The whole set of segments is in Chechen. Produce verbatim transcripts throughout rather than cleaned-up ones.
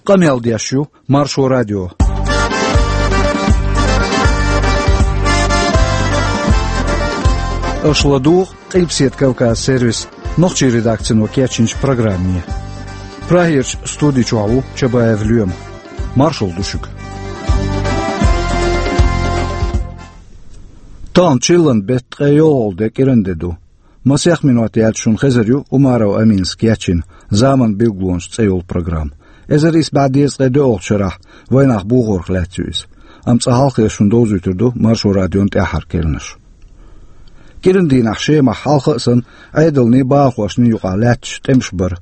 Къамел деш ю Маршо радио. Аша ладугӀу Къилбаседа Кавказ сервисан нохчийн редакцино кечйинчу программе. Прагерчу студи чохь ву Чабаев Лоьма. Маршалла ду шуьга. Тахана чиллан беттан ткъе йолхалгӀа де, кӀиранде ду. Масех минот яьлча шуна хезар ю Умаров Аминас кечйина «Заман билгалонаш» цӀе йолу программа. Эзар исс бӀе дезткъе доьалгӀачу шарахь вайнах бохорх лаьцна ю иза. Амма цкъа хьалха шуна довзуьйтур ду Маршо радион тӀаьххьара керланаш. КӀиран дийнахь Шемахь хьалха а санна, Ӏедалний бахархошний юкъахь лаьтташ тӀемаш бара.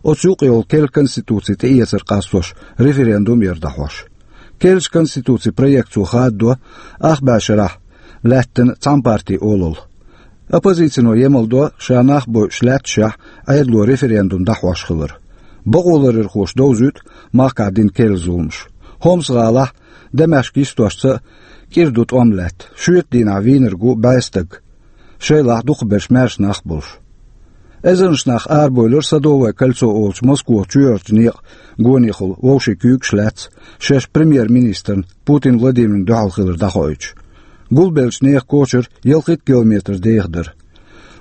Оцу юкъа йолу керла конституци тӀеэцар къастош референдум яра дӀахьош. Керлачу конституцин проекто хададо ах бӀе шарахь лаьттина цхьана партин олалла. Оппозицино емал до, ша нах бойуш лаьтташехь, Ӏедало референдум дӀахьош хилар. Бакъоларъярхоша довзуьйту махкахь дина керла зуламаш. Хомс-гӀалахь, Дамаскан йистошца а кӀира ду тӀом лаьтта. Шоьтан дийнахь вийнарг ву бӀе стаг, шайлахь дукхахберш маьрша нах болуш. Эзарнаш нах арабевлира Садовое кольцо олучу Москох чоьхьарчу некъан гонехула, вовшийн куьйгаш лаьцна, шаьш премьер-министрна Путин Владимирна дуьхьал хилар дӀахоуьйтуш. Гулбеллачу нехан кочара ялхитта километр деха дара.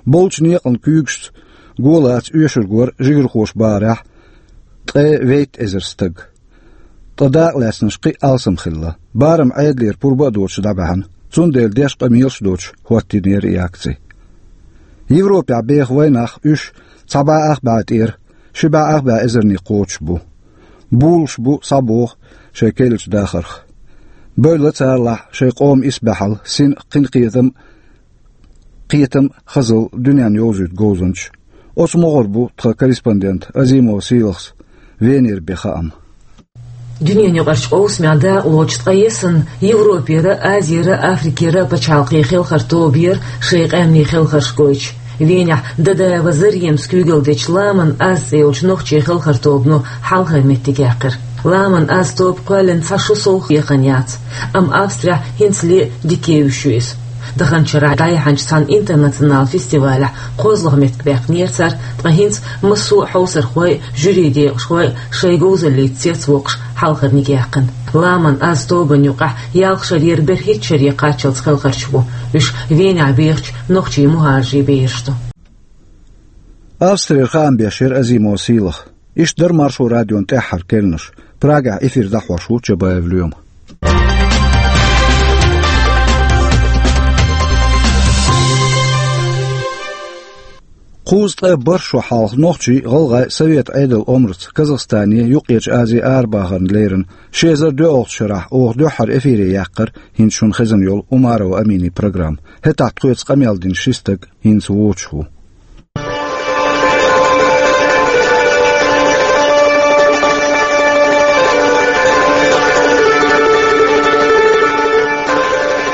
Болчу некъан куьйгашца го лаца оьшург вара, жигархоша бахарехь, ткъе вейтта эзар стаг. Ткъа дакъа лаьцнарш кхин а алсам хилла. Барам Ӏедалера пурба а доцуш дӀабаьхьна, цундела деш къамелаш а доцуш хӀоттийнера и акци. Европехь беха вайнах, уьш цхьа бӀе ах бӀе тӀера ши бӀе ах бӀе эзарниг кхочуш бу. Булуш бу схьабоху шайн керлачу дахарх. Бевлла царалахь шайн къоман исбаьхьалла, син кхин кхетам, кхетам, хазалла дуьненна йовзуьйту говзанчаш. Оцу могӀара бу тхан корреспондент Азимов Сийлахьс Венера бен хаам. Дуьненаюкъарчу къовсамехь дакъалоцуш ткъа ясна Европера, Азера, Африкера пачхьалкхийн хелхар тобера шайн къаьмнийн хелхарш гойтуш. Венехь Дадаева Заремас куьйгалла дечу «Ламан аз» цӀе йолчу нохчийн хелхар тобано хьалхара меттиг яьккхира. «Ламан аз» тоба кхоьллина цхьа шо сов хьехна яц, амма Австрехь хӀинцале дика евзаш ю иза. Даханчу шарахь дӀаяьхьначу цхьана интернационал фестивалехь кхозлагӀа меттиг баьккхинера цара, ткъа хӀинца массо а хьовсархой а, жюрин декъашхой а шайн говзаллица цецвоккхуш хьалхарниг яьккхина. «Ламан аз» тобанна юкъахь ялх шарера берхӀитта шаре кхаччалц хелхарш бу. Уьш Венехь бехачу нохчийн мухӀажарийн бераш ду. Австрера хаам беш яра Азимов Сийлахь. Иштта дара Маршо радион тӀаьххьара керланаш. Прагехь эфир дӀахьош ву Чабаев Лоьма. Кхузткъе бархӀ шо хьалха нохчий, гӀалгӀай Совет Ӏедалан омраца Казахстане, Юккъерчу Азин арабахарна лерина ши эзар доьалгӀачу шарахь оха дуьххьара эфире яьккхира хӀинца шуна хезна йолу Умарова Аминин программа. ХӀетахь тхоьца къамел дина ши стаг хӀинца воцуш ву.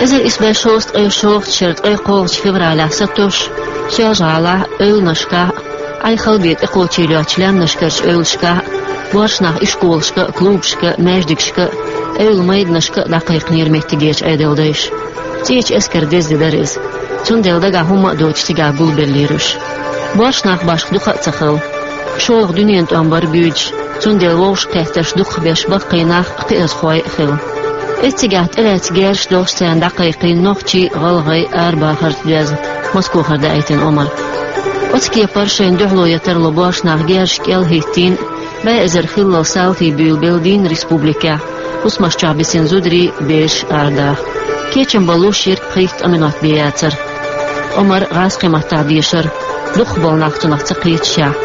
Эзар исс бӀе шовзткъе шолгӀачу шеран ткъе кхоалгӀачу февралехь сатосуш, Соьлжа-ГӀалахь, эвланашкахь, Ӏай-хала бен тӀекхочийла йоцчу лаьмнашкарчу эвлашкахь, боьршинах ишколашка а, клубашка а, маьждигашка а, эвла майданашка а дӀакхайкхинера меттигерчу Ӏедалдайша. ЦӀечу эскаран деза де дара иза. Цундела дагахь хӀумма а доцуш цигахь гулбеллера уьш. Боьршинах башха дукха а ца хилла. ШолгӀа дуьненан тӀом бара буьйцуш, цундела вовшахкхеттарш дукхахберш баккхий нах а, кхиазхой а хилла. Эццигахь тӀелаьцна герзаш долуш царна дӀакхайкхийна нохчий, гӀалгӀай арабахарца доьзна Москохара даийтина омра. Оцу кепара шайна дуьхьало ян тарло боьршинах герзаш кӀел а хӀиттийна, бӀе эзар хиллал салтий буьйлабелла дийнна республикехь, хӀусамаш чохь бисина зударий, бераш арадаха. Кечам балош йирг пхийтта-ткъа минот бен яцара. Омра гӀазкхийн маттахь дешара, дукхахболу нах цунах ца кхеташехь,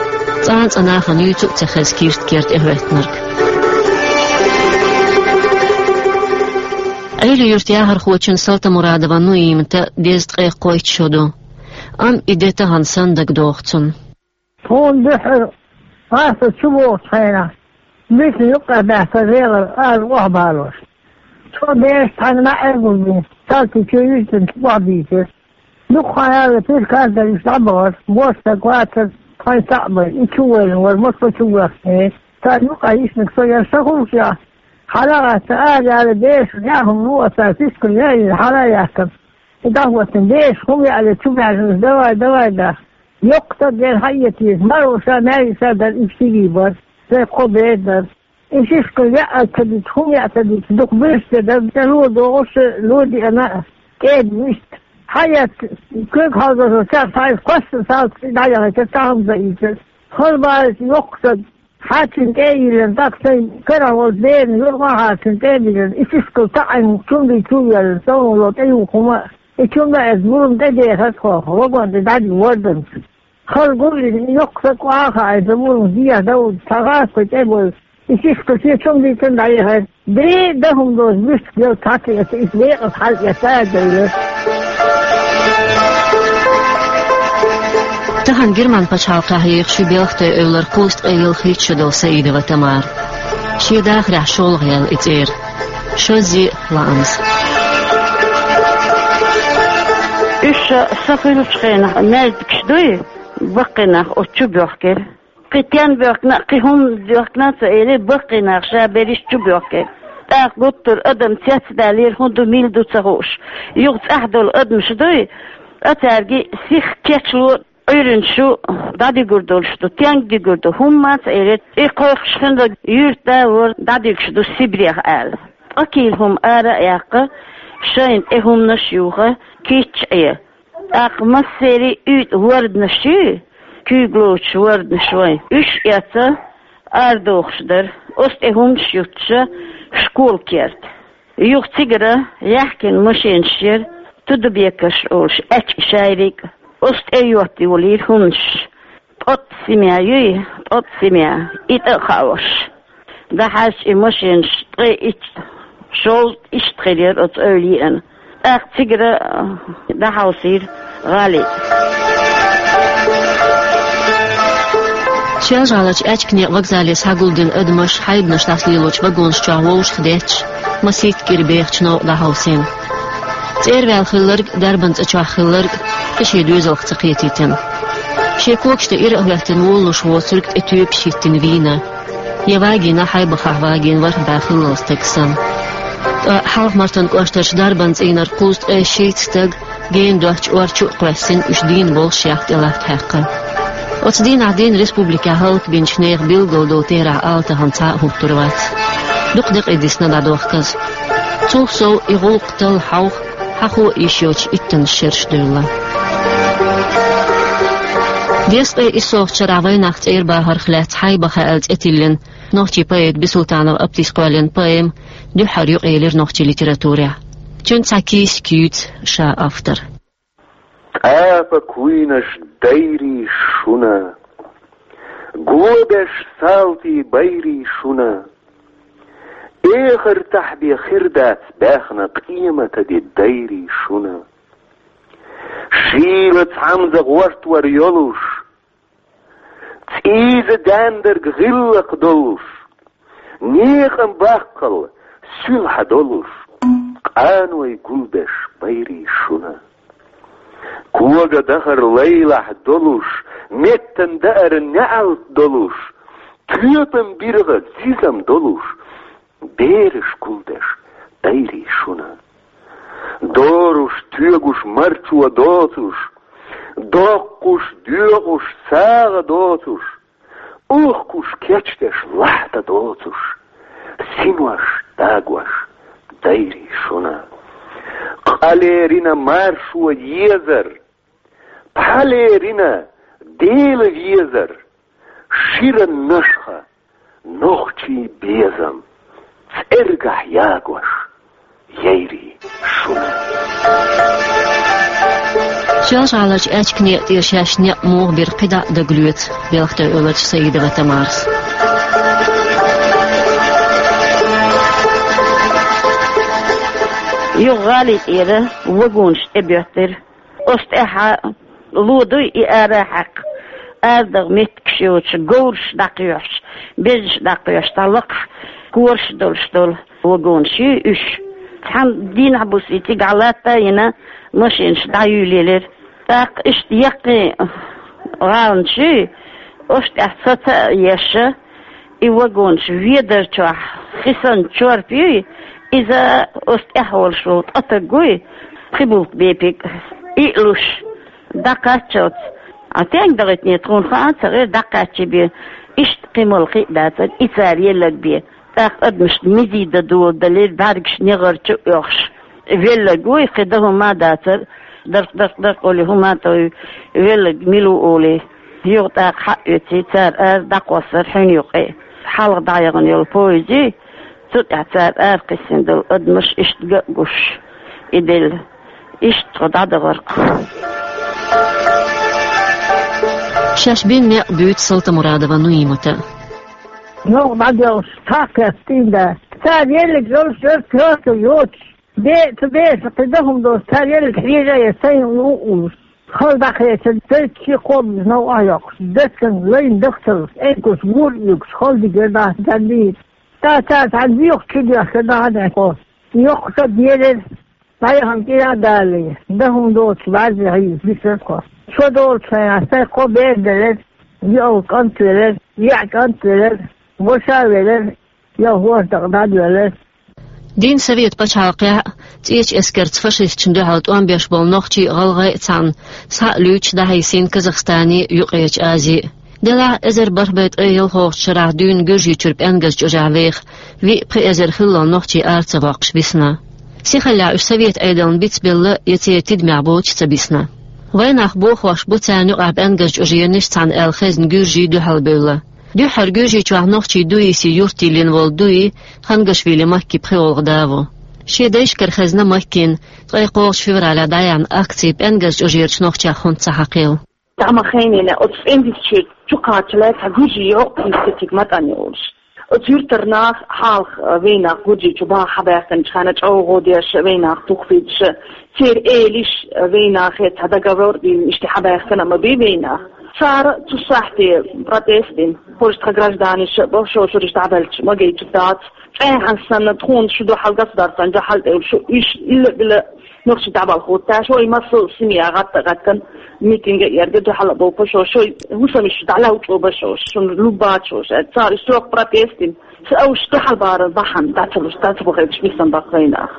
цкъа а цкъа нахана юьйцу а ца хезна кирст кертахӀоьттинарг. Ӏели-Юьртан яхархочун Салтамурадова Нуиматан дезткъе кхойтта шо ду. Амма и де тахана санна дагадогӀу цунна. Тхуна дуьххьара гӀазкхаша чу вогӀучу хенахь, мича юккъе баьхкира гӀелара ара охьабалош. Цо бераш цхьаьна маьӀӀе гулбина, салтий чу юьззина охьабийцира. Дукха хан яьлла пиркардар уьш дӀабахара, бос стаг вацара, тхайн цхьаъ бара, и чу воьллина вара, Москва чу воьхкина. Царна юкъахь йиснарг со яра, со хӀума чохь хьала а гӀатта, ара яьлла, бераш яхьа хӀума луо цара, фискал яйина, хьала а яьккхина. И дӀахӀоттина бераш хӀума яьлла чу маьжнаш, давай, давай, даха. Йоккха стаг яра, хьаэца веза, маро ша, маьрша ша дара, уьш стигий бара, сайн кхо бер дара. И шишка яа ца дича, хӀума яа ца дича, дукха буьрса де дар, тӀе ло догӀуш, ло диана а, кӀеда вист. Хьаэц, куьг хьалзаза царца хьайса кхоьссина салц дӀаяхийтар, цхьа хӀума ца ийцар. Хала баьлча йоккха саг, хьарчина тӀе а йиллина, тӀаккха сайн карахь волчу берана юргӀа а хьарчина тӀе а биллина, и шишкал таӀийна чум бий чу а йоьллина, совнало тӀе юха хӀума а, и чум а эцна, бурам тӀе дехар тхо, вагон тӀе дӀадина ворданца. Хала гулдина, и йоккха саг охьа а хаийта, бурам дехьа довлу, цхьа гӀазкхи тӀе а бевлла, и шишка шен чум дийцина дӀаяхара. Бен а дан хӀума доцу буьрсиг йолу цхьацца эца, иза декъаза хьала эца а девлла. Тахана Герман пачхьалкхехь ехаш ю Белхатойн эвлара кхузткъе ялхитта шо долу Саидова Тамара. Шен дахарехь шолгӀа яьлла и цӀера. Шозза а лаамца. Уьш сан хуьлучу хенахь маьждигаш дуй, баккхий нах оцу чу боьхкира. Кхин тен боьхкина, кхин хӀума боьхкина а ца элира, баккхий нах ша берриш чу боьхкира. ТӀаккха гуттар а адам цецдаьллера, хӀун ду, мила ду ца хууш. Юха цӀахь долу адамаш дуй, а цаьрга сиха кечло, Ӏуьйранна шу дӀадигур долуш ду, тенга дигур ду, хӀумма а ца элира, и кхойкхуш хинарг юьртда а вара, дӀадуьгуш ду Сибрех аьлла. Ткъа кийла хӀума ара а яьккха, шайна тӀе хӀуманаш а юха, кийча Ӏе. ТӀаккха массерий а уьйтӀа ворданаш ю, куьйгаллочу ворданаш вайн. Уьш а эцна, арадохуш дара, оцу тӀе хӀуманаш юттуш, школа керта. Юха цигара яьхкина машенаш яра, Тудабекаш олуш, аьчка шайриг а, оцу тӀе йоттайолийра хӀуманаш. Ткъотта семья юй, ткъотта семья, и тӀе а хаош. ДӀахьаьжча и машенаш ткъе итт, шовзткъа иштта хир яра оцу эвла еана. ТӀаккха цигара, а, дӀахьовсийра гӀали. Шелжа-ГӀаларчу аьчка некъан вокзале схьагулдина адамаш хьайбанаш дӀасалелочу вагонаш чохь вовшах детташ, масийтта кӀира бехачу новкъа дӀахьовсийна. ЦӀера ваьлла хилларг, дарбан цӀа чохь хилларг кхин шен доьзалх ца кхетийтина. Шен когаш тӀе ира а хӀоьттина волалуш воцург тӀе тоьпаш хӀиттина вийна. Я вагийна хьайбахахь вагийна ворхӀ бӀе хиллал стаг санна. Ткъа Хьалха-Мартан кӀоштарчу дарбан цӀийнара кхузткъе шийтта стаг гена доцчу ор чу а кхоьссина, уьш дийна болуш ях тӀе латта хьаькхна. Оцу дийнахь дийна республикехь хӀаллакбинчу нехан билггал долу терахь ала тахана цхьа а хӀуттур вац. Дукха декъий дисна дӀадохказа. Цул сов и гӀуллакх талла хьовха, хьахо а йиш йоцуш иттаннаш шераш девлла. Дезткъе иссолгӀачу шарахь вайнах цӀера бахарх лаьцна «Хьайбаха» аьлла цӀе тиллина, нохчийн поэта Бисултанов Аптис кхоьллина поэма дуьххьара юкъаелира нохчийн литературехь. Цуьнан цхьа кийсак юьйцу ша автор. ТӀапа куйнаш, дайрий шуна, го беш салтий, байрий шуна, эхартахь бен хир дац баьхна къематан де, дайрий шуна. Шийла цхьамза гӀортор йолуш, цӀийза даьндарг гӀиллакх долуш, некъан баккхал суьлхьа долуш, къаной гулбеш, байрий шуна. Коган дахар лайлахь долуш, меттан даар неӀалт долуш, тоьпан биргӀа зизам долуш, бераш гулдеш, дайрий шуна. Доруш, тоьгуш, марчо доцуш, доккхуш, доькъуш, сагӀа доцуш, ухкуш, кечдеш, лахьта доцуш, синош дагош, дайрий шуна. Къа лерина маршо езар, пхьа лерина Дела везар, шира нашха нохчийн безам цӀергахь ягош, яйрий шуна. Шелжа-ГӀаларчу аьчка некъа тӀера шаьш некъ муха бира кхидӀа а дагалоьцу Белхатойн эвларчу Саидова Тамарас. Юха гӀалин тӀера вагонаш тӀебоьттира. Оцу тӀаьхьа ло дуй и ара хьаькхна, арадаха меттигаш йоцуш, говраш дӀакхоьхьуш, безаш дӀакхоьхьуш, цхьа лакхахь кораш долуш долу вагонаш ю уьш. Цхьана дийнахь-буса и цигахь латта а йина, машинаш дӀаюьйлаелира. ТӀаккха иштта яккхий гӀаланаш ю, оцу тӀехь саца а еш, и вагонаш ведар чохь хи санна чорпа юй, иза оцу тӀехь волуш волу ткъа стаг вуй, пхи булт бепиг, иъ луш, дӀакхаччалц. Ӏа стенга дахийтине тхуна хаа а ца гӀира, дӀакхаччий бен. Иштта кхин мала кхин а дацара, и цара елларг бен. тӀаккха адамашта мизий дан доладелира, бӀаргаш негӀар чу а оьхуш. Велларг вуй, кхин дан хӀума а дацар, дарх, дарх, дарх олий хӀума а товй, велларг мила ву олий. Юха тӀаккха хьаоьций, цара ара дӀакхоссар хьуьна юкъе. Хьалха дӀаяхана йолу поезд, цу тӀехь цара ара кхиссина долу адамаш иштта ган а гуш, и делла. Иштта тхо дӀадахара-кх. Шаьш бина некъ буьйцу Салтамурадова Нуимата. Новкъа дӀаделлаш цхьа а кхетта тӀе дан. Цара еллиг йолуш яра, коьрта йоцуш. Бе-, цу беса кхин дан хӀума доцуш, цара еллиг хьежа а яра, сайн у уллуш. Хала дӀакхечира, цаьрца ши кхобуш новкъа йоккхуш, дацкан лайн дахталлаш, эйнкуш гур а юьгуш, хала дигира дӀа, дӀадийра. Ца цара цхьаьна боьха чу доьхкира дӀа, хьан кхо. Йоккха ца делира. Дайхан кӀира а далий, дан хӀума доцуш бӀаьрзе хьийза, бисар кхо. Шо долчу хенахь сайн кхо бер делира, йоӀ кӀант велира, яа кӀант велира, ваша велира, йоӀ хӀорш дакъа дӀадоьллира. Дийнна Совет пачхьалкхехь а, ЦӀечу эскарца фашисташна дуьхьал тӀом беш болу нохчий а, гӀалгӀай а цхьаьна, схьа а луьйчуш дӀахьийсийна Казахстане а, Юккъерчу Азе а. Делахь а, эзар бархӀ бӀе ткъе ялхалгӀачу шарахь дуьйна Гуьржийчуьра ПӀенгаьз чӀожехь веха виъ-пхи эзар хиллал нохчий ара ца воккхуш бисна. Сихаллехь уьш Совет Ӏедална бицбелла я церан тидамехь боцуш ца бисна. Вайнах бохош бу царна юкъахь ПӀенгаьз чӀоженаш цхьаьна аьлла хезна гуьржий дуьхьалбевлла. Дуьххьара Гуьржийчохь нохчий Дуиси юрте лина волу Дуи Хангашвили Макки пхоьалгӀа да ву. Шен дайшкара хезна Маккина ткъе кхоалгӀачу февралехь дӀаяьхьна акци ПӀенгаьз чӀожерачу нохчех хӀунда ца хьакхийла. Тахана хенахь оцу ПӀенгаьзчу чу кхаччалц цхьа гуьржий йоккха институт ма тӀан йолуш. Оцу юьртара нах хьалха, а, вайнах Гуьржийчу баха хьабаьхкинчу хенахь чӀогӀа деш, вайнах тухфийташ, церан элиш, а, вайнахе цхьа договор а дина, иштта хьабаьхкина а ма бий вайнах. Цара цу сахьте протест дина, хӀорш тхан гражданаш а бо, шо шуриш дӀабаьлча ма гайта дац. ЦӀехьана санна, тхуна шу дуьхьал государстван дуьхьал тӀе шу, уьш илла-билла нохчий дӀабалхутташ, шой массо а семья гӀатта-гӀаттана митинг а ярга дуьхьал а бовпа шо, шой хӀусамаш дӀалаучӀо ба шо, шуна луббац шо, ша цара уьш чохь протест дина. Ша уьш дуьхьал баран бахьана дӀа ца луш, дӀа ца бахийташ мисан баккхайнах.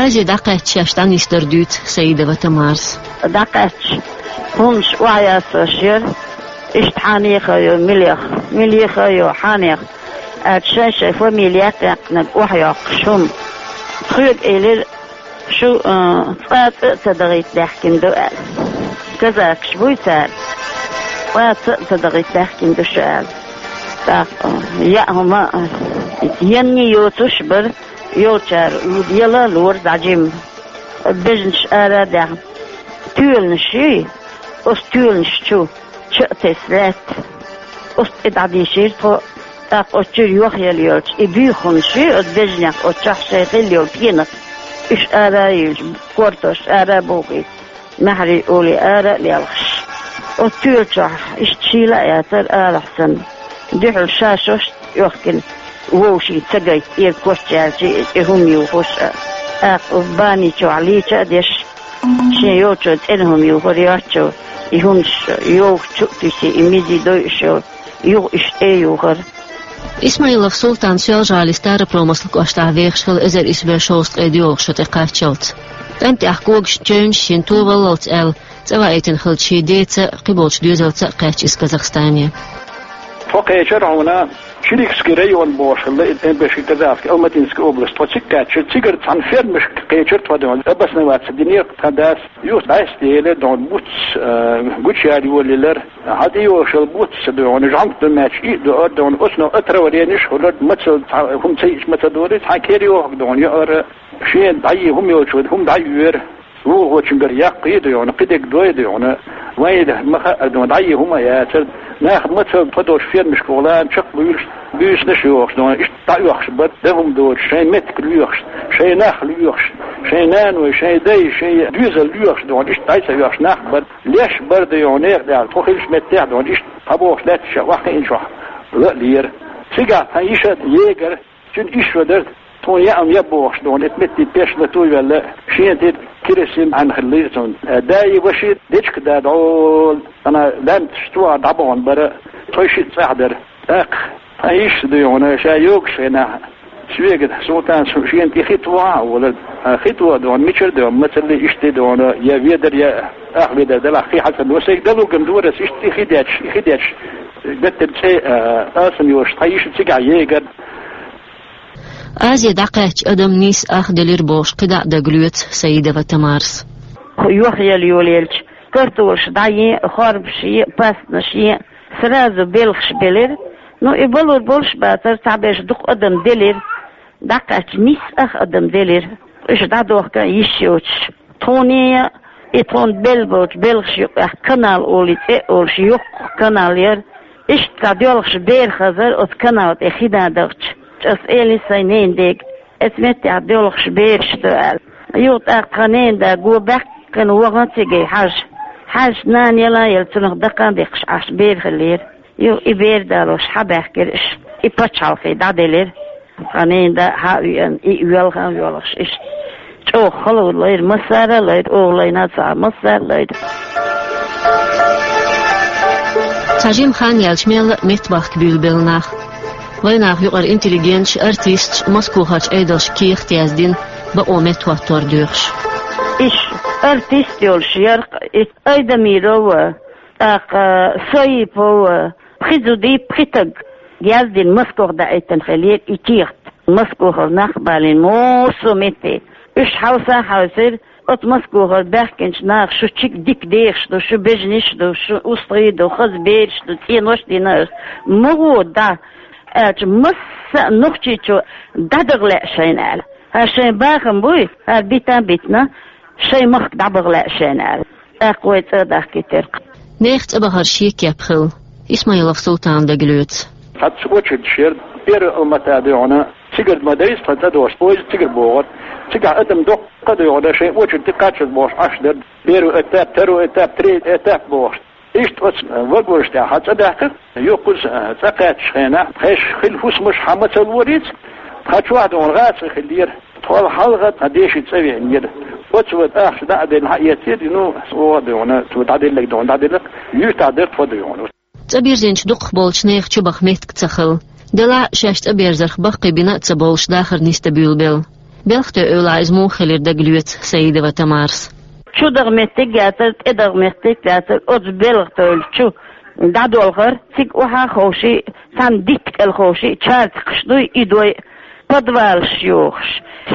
Азе дӀакхаьчча шаьш дӀанисдар дуьйцу Саидова Тамарас. ДӀакхаьчча, хӀуманаш охьаясош яра, иштта хьанеха йо, милеха, милеха йо, хьанех. Аьлча шайн-шайн фамилия яьккхинарг охьайоккхуш хӀума. Тхоьга элира, шу, а, цкъа а цӀа а ца дахийта даьхкина ду аьлла. Казакаш буй цара. Цкъа а цӀа а ца дахийта даьхкина ду шу аьлла. ТӀаккха, а, яа хӀума, а, енний йоцуш бара, йолчара яла а лора дӀа жимма. Бежанаш ара а даьхна. Тоьланаш юй, оцу тоьланаш чу ча а тесна лаьтта. Оцу тӀе дӀадийшира тхо, тӀаккха оцу чуьра йохъелла йолчу и буьйханаш юй, оцу бежанех оцу чохь шайн хилла йолу пенах. Уьш ара а йиллча, кортош ара а бохуьйту, маьхьарий олий ара а лелхаш. Оцу тоьла чохь иштта шийла а яцара алахь санна. Дуьхьал ша шошта йохкина, вовшийн ца гайта, эра коччаьлча и хӀума юхуш а, тӀаккха бани чохь лийча а деш, шен йолчо цӀена хӀума юхур йоцчо, и хӀумаш йовхачу а туьсий, и мизий дойуш йолу, юха уьш тӀе а юхура. Исмаилов Султан Соьлжа-ГӀалин Старопромыслан кӀоштахь вехаш хилла эзар исс бӀе шовзткъе доьалгӀа шо тӀекхаччалц. КӀентехь когаш чевнаш шен товаллалц аьлла, цӀа ваийтина хиллачу шен деца а, кхиболчу доьзалца а кхаьчча иза Казахстане. Тхо кхечара хьуна Чиликский район бохуш хилла, и Эмбеши Казахский, Алматинский область. Тхо цига кхаьчча, цигара цхьана фермашка кхечара тхо, дуьйна, обосноваться динера тхан дас. Юха дӀасаделира, дуьйна, буц, э, гучаяьлла йолаелира. Хьан тӀейогӀуш йолу буц, дуьйна, жӀанг ду меттиг и а дуьйна, дуьйна, оцунах отравление хуьлура, мацалла цхьа хӀума ца йиъча ма ца догӀий, цхьана кер йохург, дуьйна, яара. Шена дӀайийна хӀума йолчо хӀума дӀайоьхура. ВуьйхӀочуьнгара яккхий, дуьйна, кхидерг дой, дуьйна. Вайна ма хаьара, дуьйна, дӀайийна хӀума а яцара. Нах мацалла тхо долчу фермашка гӀолан чекхбуьйлуш, буьйсанаш йохуш, дуьйна, иштта дӀа а оьхуш бара, дан хӀума доцуш, шайн меттиг лоьхуш, шайн нах лоьхуш, шайн наной, шайн дай, шайн доьзал лоьхуш, дуьйна, иштта дӀа а ца оьхуш нах бара. Леш бара, дуьйна, некъа тӀехь, тхо хиллачу меттехь, дуьйна, иштта цхьабогӀуш лаьтташ а охьакхиъначохь ла а лера. Цигахь тхан йиша егар, цуьнан йиша дара, тхуна яа хӀума яа бохуш, дуьйна, эта метте пеш латуй ваьлла, шена тӀе керосин хьаьнхаллийра цунна. Даи ваши дечка да дӀо, ана лаьмнаш чохь дӀабахана бара, тхо шиъ цӀахь дара. ТӀаккха тхан йиша, дуьйна, ша йогуш хенахь, соьга Султана шена тӀе хи тоха а олура. Хи тоха, дуьйна, мичара, дуьйна, мацалла иштта, дуьйна, я ведар, я ах ведар далахь хи хьацӀа. Ва сайга далуган дора ас иштта хи детташ, хи детташ. Геттара цӀе, а, алсам йолуш тхан йиша цигахь егар. Азе дӀакхаьчча адам нийсса ах делира бохуш, кхидӀа а дагалоьцу Саидова Тамарас. Йохъяла йолаелча, картолаш дӀаен, хорбаш ен, пастанаш ен, сразу белхаш белира. Ну, и балур болуш бацара, цхьаберш дукха адам делира. ДӀакхаьчча, нийсса ах адам делира. Уьш дӀадохка йиш йоцуш. Тхуна и тхуна белла болчу белхаш юкъахь канал олий цӀе а олуш, йоккха канал яра. Иштта цхьа доьлхуш бер хазара оцу канал тӀе хи дан дахча. Ас элира сайн ненан дега, оцу меттехь доьлхуш бераш ду аьлла. Юха тӀаккха тхан ненан да го баьккхина вахана цига хьажа. Хьаьжча, нана яла а елла, цунах даккха а дехкаш Ӏаш бер хиллера. Юха и бер далош хьабаьхкира уьш, и пачхьалкхе дӀаделира. Тхан ненан да хьа а веана, и велха а воьлхуш, иштта чӀогӀа хала лайра, массара а лайра, оха лайна а ца, массара а лайра. Цхьа жимма хан яьлча, мелла а меттабахка буьйлабелла нах. Вайнах юкъара интеллигенташ, артисташ Москохарчу Ӏедалша кехат яздина, бакъо меттахӀоттор доьхуш. Иш артист йолуш яра, и Айдамирова, тӀаккха Соипова, пхи зуда, пхи стаг яздина, Москох даийтина хиллера и кехат. Москохара нах а балийна массо а метте. Уьш хьовса а хьовсийра, оцу Москохара баьхкинчу наха: «Шу чиг дика дехаш ду, шу бежанаш ду, шу устагӀий ду, хаза бераш ду, цӀенош а дина аша. Ма гӀо дӀа», аьлча, масса а нохчичо: «ДӀадагӀа лаьа шайна», аьлла. «ХӀара шайн бахам буй, хӀара бита а битина, шайн махка дӀабагӀа лаьа шайна», аьлла. ТӀаккха вай цӀа а дахкийтира. Нехан цӀа бахар шен кеп хилла. Исмаилов Султана дагалоьцу. Цхьацца очередаш яра, первый Алмата дуьйхьана, цигара ма дайза тхан цӀа дохуш, поезд цигара богӀура. Цигахь адам доккха а дуьйхьана, шайн очередь тӀе кхаччалц бохуш Ӏаш дара. Первый этап, второй этап, третий этап бохуш. Иштта оцу вагонаш тӀехь цӀа даьккхира. Юха кхуза цӀа кхаьччу хенахь, тхаьш хилла хӀусамаш хьан ма ца лорица, тхан чохь дуьйхьана гӀазкхи хиллера. Тхол хьалха тхан деши цӀа веанера. Оцу ван ахча дӀа а делла, хьаэцира, ну, оха дуьйхьана, цо дӀаделларг дуьйхьана дӀаделла, юьртахь дара тхо дуьйхьана. ЦӀа бирзинчу дукхахболчу нехан чубаха меттиг ца хилла. Делахь а шаьш цӀа берзарх баккхийбина а ца бовлуш, дахар нисдан буьйлабелла. Белхатойн эвлахь иза муха хилира дагалоьцу Саидова Тамарас. Чу даха меттиг а яцара, тӀе даха меттиг а яцара, оцу белхатойн чу дӀадолхара, цига охьа а ховший, цхьана дитта кӀел ховший, чарцкхаш дуй, и дой, подвалаш йохуш,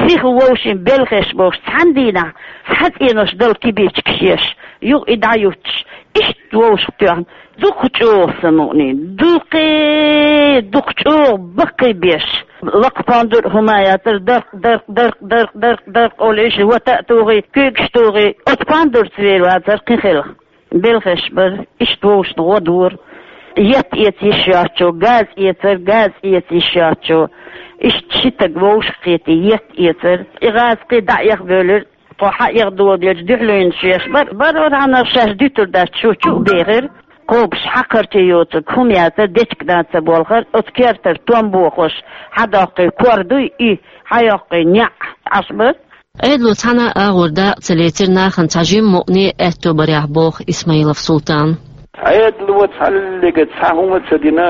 сиха вовшийн белхеш бохуш, цхьана дийнахь цхьа цӀенош дала кибичкаш еш, юха и дӀаюттуш, иштта вовшах тоьхна, дукха чӀогӀа самукъний, дукхе, дукха чӀогӀа баккхийбеш. Лакха пондур а хӀума яцара, даркъ, даркъ, даркъ, даркъ, даркъ, даркъ олуш, вата а тухий, куьйгаш тухий, оцу пондурца вер вацара кхин хилла. Белхеш бара, иштта вовшашна гӀо дора. Етт эца йиш йоцчо, газ эцара, газ эца йиш йоцчо. Иштта ши стаг вовшах кхетий, етт эцара. И гӀазкхий дӀа а эхбевлира, тхо хьаэха доладелча дуьхьалуьйнаш еш бара. Бара, хьанах шаьш дуьтур дац, шу чу а бехира. Кхобуш хьакхарчий йоцург хӀума яцара, дечиг дан ца болхара, оцу кертара том бохуш, хьадоккхий кор дуй и, хьайоккхий неӀ, Ӏаш бара. Ӏедало цхьана а агӀор дакъа ца лецира нахана цхьа жимма мукъане а аьтто барехь, боху Исмаилов Султана. Ӏедало цхьаллига цхьа хӀума ца дина,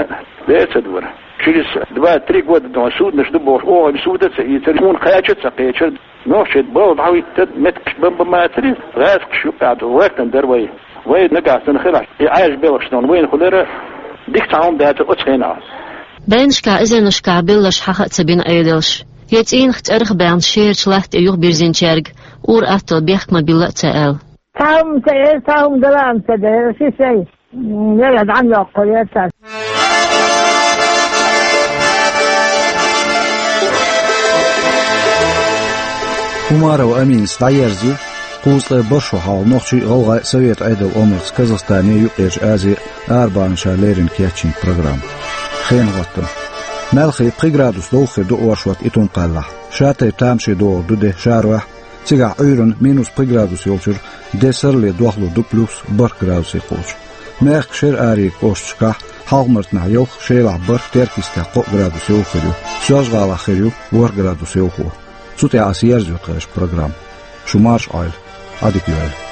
бер ца дора. Через два-три года дуьхьа суднаш ду бохуш, оха суда а ца ийцира, тхуна кхача а ца кхечира. Нохчий балха дӀахӀиттира, меттигаш бан-бан мацара, гӀазкхаш юккъехь ду, гӀоьртина дара вай. Вай нагахь санна хилахь, и Ӏаьржа белхаш дуьйхьана вайна хуьлура, дика цхьа хӀума дацара оцу хенахь. Дайнашкахь, эзарнашкахь белларш хьаха а ца бина Ӏедалша. Я цӀийнах, цӀерах а баьхна, шерачу латта тӀе юхабирзинчаьрга ур-атталла бехк ма билла а ца аьлла. Цхьа хӀума ца эр, цхьа хӀума дала а ца дара, ши шай. М, яра дӀа а йоккхур яра цара. Умарова Аминас дӀаерзийра кхузткъе барх шо хьалха нохчий а, гӀалгӀай а Совет Ӏедал омрца Казахстане а, Юккъерчу Азе а арабаьхначара леррина кечйина программа. Хенан хӀоттам. Маьлхе пхи градус довха хир ду оршот Итун-Кхаьллахь. Ша-тайпа тамашийна догӀур ду де шарохь, цигахь Ӏуьйранна минус пхи градус йолчуьра де саррале дохлур ду плюс барх градусе кхочуш. Мехкан шера аренийн кӀошташкахь Хьалха-Мартанахь ялх, Шелахь барх, Теркйистехь кхоъ градус йовха хир ю, Соьлжа-ГӀалахь хир ю ворхӀ градус йовхо. Цу тӀехь аса ерзайо тхешан программа. Шу марша Ӏойла, Ӏадика йойла.